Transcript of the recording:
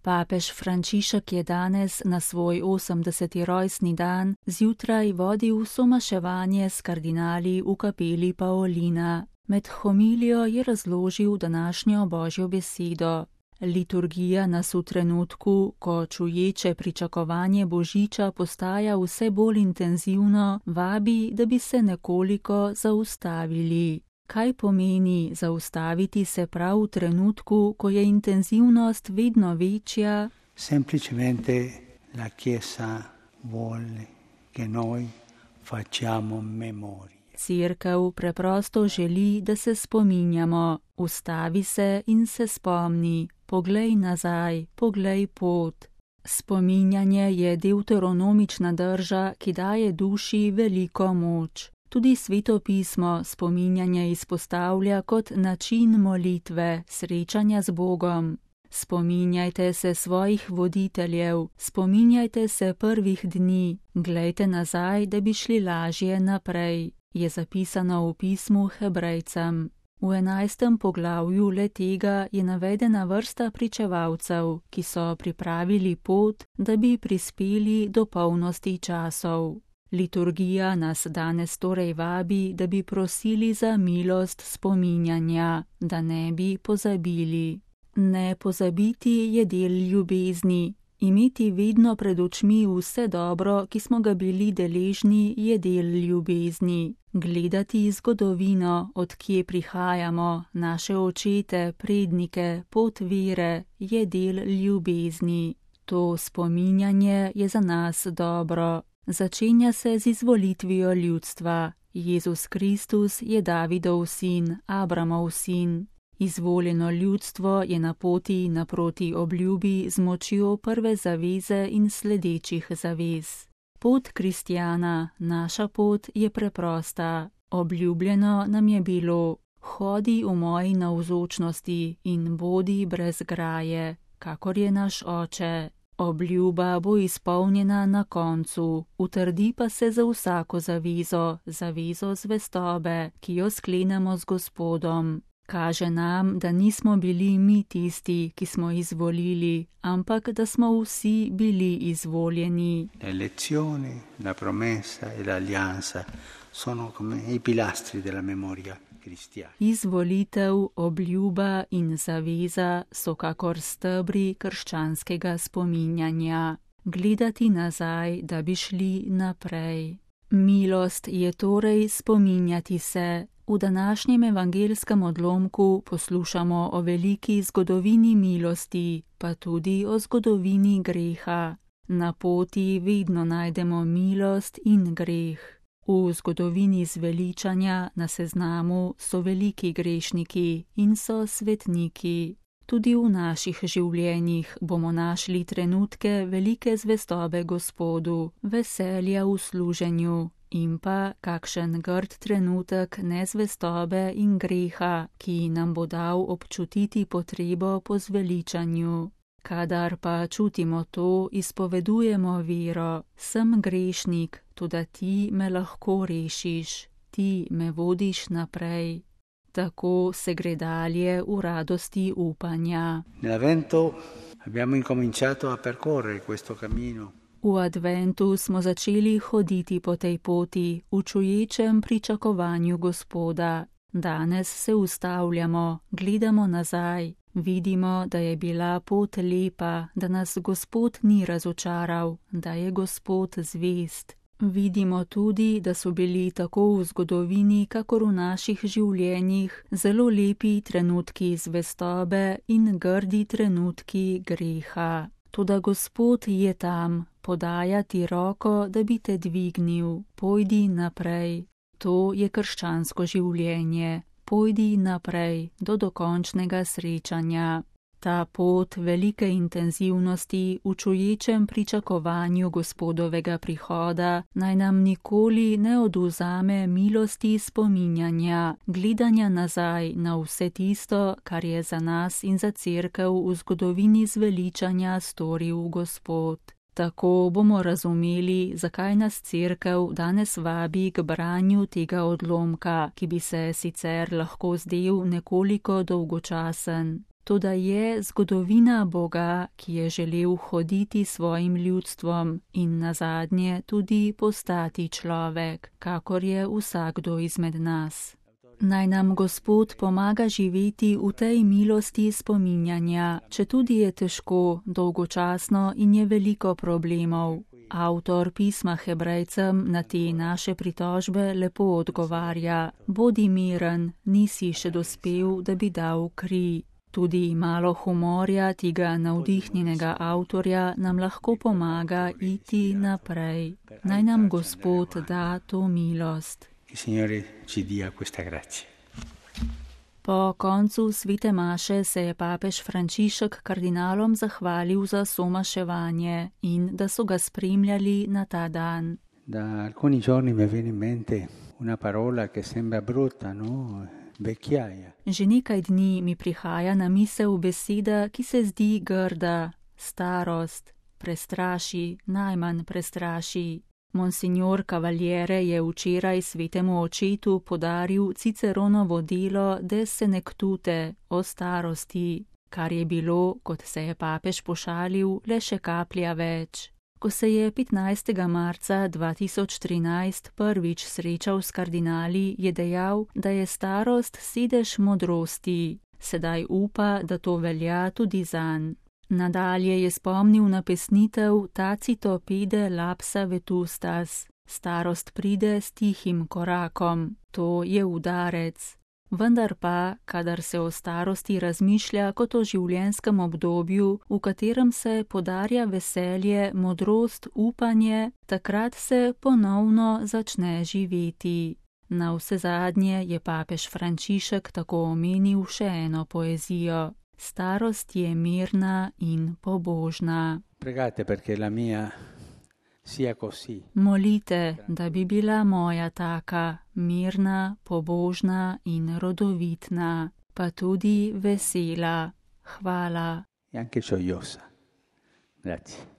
Papež Frančišek je danes na svoj 80. rojstni dan zjutraj vodil somaševanje s kardinali v kapeli Paolina. Med homilijo je razložil današnjo Božjo besedo. Liturgija nas v trenutku, ko čuječe pričakovanje Božiča postaja vse bolj intenzivno, vabi, da bi se nekoliko zaustavili. Kaj pomeni zaustaviti se prav v trenutku, ko je intenzivnost vedno večja? Semplicemente la Chiesa vuole che noi facciamo memoria. Cerkev preprosto želi, da se spominjamo. Ustavi se in se spomni. Poglej nazaj, poglej pot. Spominjanje je deuteronomična drža, ki daje duši veliko moč. Tudi Sveto pismo spominjanje izpostavlja kot način molitve, srečanja z Bogom. Spominjajte se svojih voditeljev, spominjajte se prvih dni, glejte nazaj, da bi šli lažje naprej, je zapisano v pismu Hebrejcem. V 11. poglavju le-tega je navedena vrsta pričevalcev, ki so pripravili pot, da bi prispeli do polnosti časov. Liturgija nas danes torej vabi, da bi prosili za milost spominjanja, da ne bi pozabili. Ne pozabiti je del ljubezni. Imeti vedno pred očmi vse dobro, ki smo ga bili deležni, je del ljubezni. Gledati zgodovino, od kje prihajamo, naše očete, prednike, pot vere, je del ljubezni. To spominjanje je za nas dobro. Začenja se z izvolitvijo ljudstva. Jezus Kristus je Davidov sin, Abramov sin. Izvoljeno ljudstvo je na poti naproti obljubi z močjo prve zaveze in sledečih zavez. Pot kristjana, naša pot je preprosta. Obljubljeno nam je bilo: hodi v moji navzočnosti in bodi brez graje, kakor je naš oče. Obljuba bo izpolnjena na koncu, utrdi pa se za vsako zavezo, zavezo zvestobe, ki jo sklenemo z Gospodom. Kaže nam, da nismo bili mi tisti, ki smo izvolili, ampak da smo vsi bili izvoljeni. L'elezione, la promessa e l'alleanza sono come i pilastri della memoria cristiana. Izvolitev, obljuba in zaveza so kakor stebri krščanskega spominjanja. Gledati nazaj, da bi šli naprej. Milost je torej spominjati se. V današnjem evangelskem odlomku poslušamo o veliki zgodovini milosti, pa tudi o zgodovini greha. Na poti vedno najdemo milost in greh. V zgodovini zveličanja na seznamu so veliki grešniki in so svetniki. Tudi v naših življenjih bomo našli trenutke velike zvestobe Gospodu, veselja v služenju. In pa kakšen grd trenutek nezvestobe in greha, ki nam bo dal občutiti potrebo po zveličanju. Kadar pa čutimo to, izpovedujemo vero: sem grešnik, toda ti me lahko rešiš, ti me vodiš naprej. Tako se gre dalje v radosti upanja. Nell'Avvento abbiamo incominciato a percorrere questo cammino. V adventu smo začeli hoditi po tej poti, v čuječem pričakovanju Gospoda. Danes se ustavljamo, gledamo nazaj, vidimo, da je bila pot lepa, da nas Gospod ni razočaral, da je Gospod zvest. Vidimo tudi, da so bili tako v zgodovini, kakor v naših življenjih, zelo lepi trenutki zvestobe in grdi trenutki greha. Toda Gospod je tam, podaja ti roko, da bi te dvignil. Pojdi naprej. To je krščansko življenje. Pojdi naprej do dokončnega srečanja. Ta pot velike intenzivnosti v čuječem pričakovanju Gospodovega prihoda naj nam nikoli ne odvzame milosti spominjanja, gledanja nazaj na vse tisto, kar je za nas in za cerkev v zgodovini zveličanja storil Gospod. Tako bomo razumeli, zakaj nas cerkev danes vabi k branju tega odlomka, ki bi se sicer lahko zdel nekoliko dolgočasen. Toda je zgodovina Boga, ki je želel hoditi svojim ljudstvom in nazadnje tudi postati človek, kakor je vsakdo izmed nas. Naj nam Gospod pomaga živeti v tej milosti spominjanja, četudi je težko, dolgočasno in je veliko problemov. Avtor pisma Hebrejcem na te naše pritožbe lepo odgovarja: bodi miren, nisi še dospel, da bi dal kri. Tudi malo humorja tega navdihnjenega avtorja nam lahko pomaga iti naprej. Naj nam Gospod da to milost. Po koncu svete maše se je papež Frančišek kardinalom zahvalil za somaševanje in da so ga spremljali na ta dan. Da alcuni giorni mi viene in mente una parola che sembra brutta, no? Vecchiaia. Že nekaj dni mi prihaja na misel beseda, ki se zdi grda, starost, prestraši, najmanj prestraši. Monsignor Cavaliere je včeraj svetemu očetu podaril Ciceronovo delo De senectute o starosti, kar je bilo, kot se je papež pošalil, le še kaplja več. Ko se je 15. marca 2013 prvič srečal s kardinali, je dejal, da je starost sedež modrosti. Sedaj upa, da to velja tudi zanj. Nadalje je spomnil na pesnitev Tacito pede lapsa vetustas. Starost pride s tihim korakom. To je udarec. Vendar pa, kadar se o starosti razmišlja kot o življenjskem obdobju, v katerem se podarja veselje, modrost, upanje, takrat se ponovno začne živeti. Na vsezadnje je papež Frančišek tako omenil še eno poezijo. Starost je mirna in pobožna. Pregate perché la mia sia così. Molite, da bi bila moja taka, mirna, pobožna in rodovitna, pa tudi vesela. Hvala. E anche gioiosa. Grazie.